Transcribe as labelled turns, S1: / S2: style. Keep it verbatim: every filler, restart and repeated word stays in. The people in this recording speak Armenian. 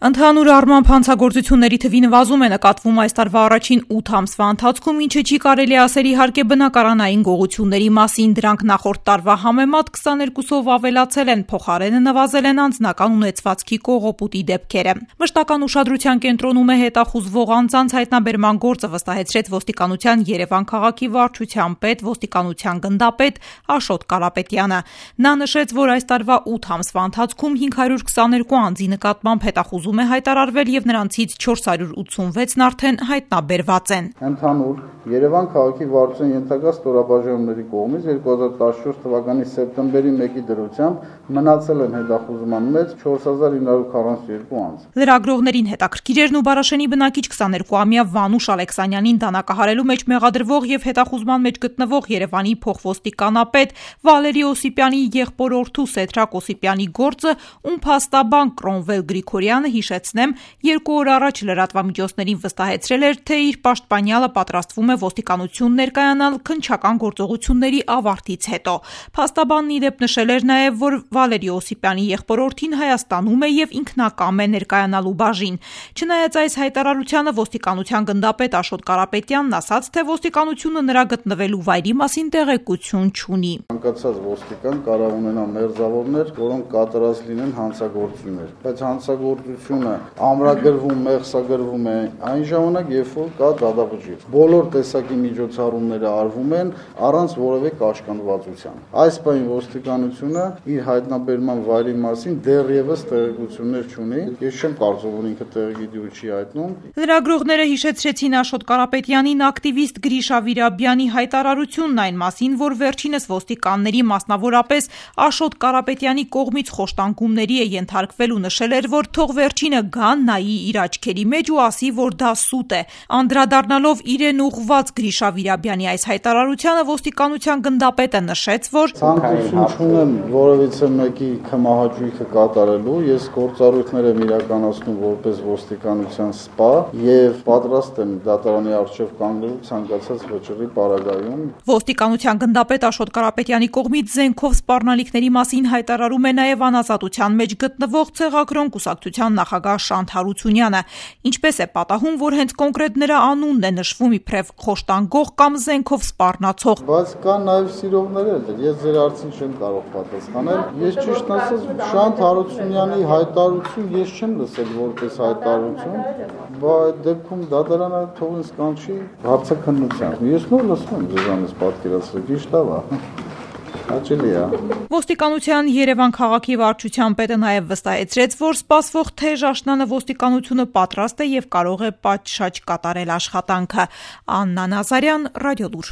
S1: Ընդհանուր առմամբ հանցագործությունների թվի նվազում է նկատվում այս տարվա առաջին ութ ամսվա ընթացքում, ինչը չի կարելի ասել իհարկե բնակարանային գողությունների մասին. դրանք նախորդ տարվա համեմատ քսաներկուսով ավելացել են, փոխարենը նվազել են անձնական ունեցվածքի կողոպուտի դեպքերը։ Մշտական ուշադրության կենտրոնում է հետախուզվող անձանց հայտնաբերման գործը, վստահեցրեց ոստիկանության Երևան քաղաքի վարչության պետ, ոստիկանության գնդապետ Աշոտ Կարապետյանը։ Նա նշեց, որ այս տարվա ութ ամսվա ընթացքում հինգ հարյուր քսաներկու անձի նկատմամբ հետախուզում է հայտարարվել եւ նրանցից չորս հարյուր ութսունվեցն արդեն հայտնաբերված են։
S2: Ընդհանուր Երևան քաղաքի վարչության ենթակա ստորաբաժանումների կողմից երկու հազար տասնչորս թվականի սեպտեմբերի մեկի դրությամբ մնացել են հետախուզման մեջ չորս հազար ինը հարյուր քառասունուերկու անձ։
S1: Լրագրողներին հետաքրքիր էր Նուբարաշենի բնակիչ քսաներկուամյա Վանուշ Ալեքսանյանին դանակահարելու մեջ մեղադրվող եւ հետախուզման մեջ գտնվող Երևանի փոխոստիկանապետ Վալերի Օսիպյանի եղբորորդու Սեդրակ Օսիպյանի գործը, ում փաստաբան Կրոնվել Գրիգորյանը, հիշեցնեմ, երկու օր առաջ լրատվամիջոցներին վստահեցրել էր, թե իր պաշտպանյալը պատրաստվում է ոստիկանություն ներկայանալ քննչական գործողությունների ավարտից հետո։ Փաստաբանն ի դեպ նշել էր նաև, որ Վալերի Օսիպյանի եղբորորդին Հայաստանում է եւ ինքնակամ է ներկայանալու բաժին։ Չնայած այս հայտարարությանը, ոստիկանության գնդապետ Աշոտ Կարապետյանն ասաց, թե ոստիկանությունը նրա գտնվելու վայրի մասին տեղեկություն չունի։
S2: Ցանկացած ոստիկան կարող ունենա մերձավորներ, որոնք կատարած լինեն հանցագործություններ, բայց հանցագործությունը ամրագրվում, մեղսագրվում է այն ժամանակ, երբ որ կա դատավճիռ։ Բոլոր տեսակի միջոցառումները արվում են առանց որևէ կաշկանդվածության։ Այս պահին ոստիկանությունը իր հայտնաբերման վայրի մասին դեռևս տեղեկություններ չունի։ Ես չեմ կարծում, որ ինքը տեղեկի չի հայտնում։
S1: Լրագրողները հիշեցրեցին Աշոտ Կարապետյանին ակտիվիստ Գրիշա Վիրաբյանի հայտարարությունն այն մասին, որ վերջինս ոստիկանների, մասնավորապես Աշոտ Կարապետյանի կողմից խոշտանգումների է ենթարկվել ու նշել էր, որ թող վերջինը գա, նայի իր աչքերի մեջ ու ասի, որ դա սուտ է։ Անդրադառնալով իրեն ուղղված Գրիշա Վիրաբյանի այս հայտարարությանը, ոստիկանության գնդապետը նշեց, որ
S2: ցանկություն չունեմ որևիցե մեկի քմահաճույքը կատարելու, ես գործառույթներ եմ իրականացնում որպես ոստիկանության սպա եւ պատրաստ եմ դատարանի առջեւ կանգնելու ցանկացած վճռի պարագայում։
S1: Ոստիկանության գնդապետ Աշոտ Կարապետյանի կողմից զենքով սպառնալիքների մասին հայտարարում է նաեւ անազատության մեջ գտնվող Ցեղակրոն կուսակցության նախագահ Շանթ Հարությունյանը, ինչպես է պատահում, որ հենց կոնկրետ նրա անունն է նշվում իբրև խոշտանգող կամ զենքով սպառնացող։
S2: Բայց կա նաեւ սիրողներ էլ, ես ձեր հարցին չեմ կարող պատասխանել։ Ես ճիշտ ասած Շանթ Հարությունյանի հայտարարություն ես չեմ լսել որպես հայտարարություն, բայց դեպքում դատարանը թող ինձ կանչի հարցաքննության։ Ես նոր լսում եմ ձեզանից պատկերացրեք, ճիշտ է։
S1: Ոստիկանության Երևան քաղաքի վարչության պետը նաև վստահեցրեց, որ սպասվող թեժ աշնանը ոստիկանությունը պատրաստ է եւ կարող է պատշաճ կատարել աշխատանքը։ Աննա Նազարյան, Ռադիոլուր։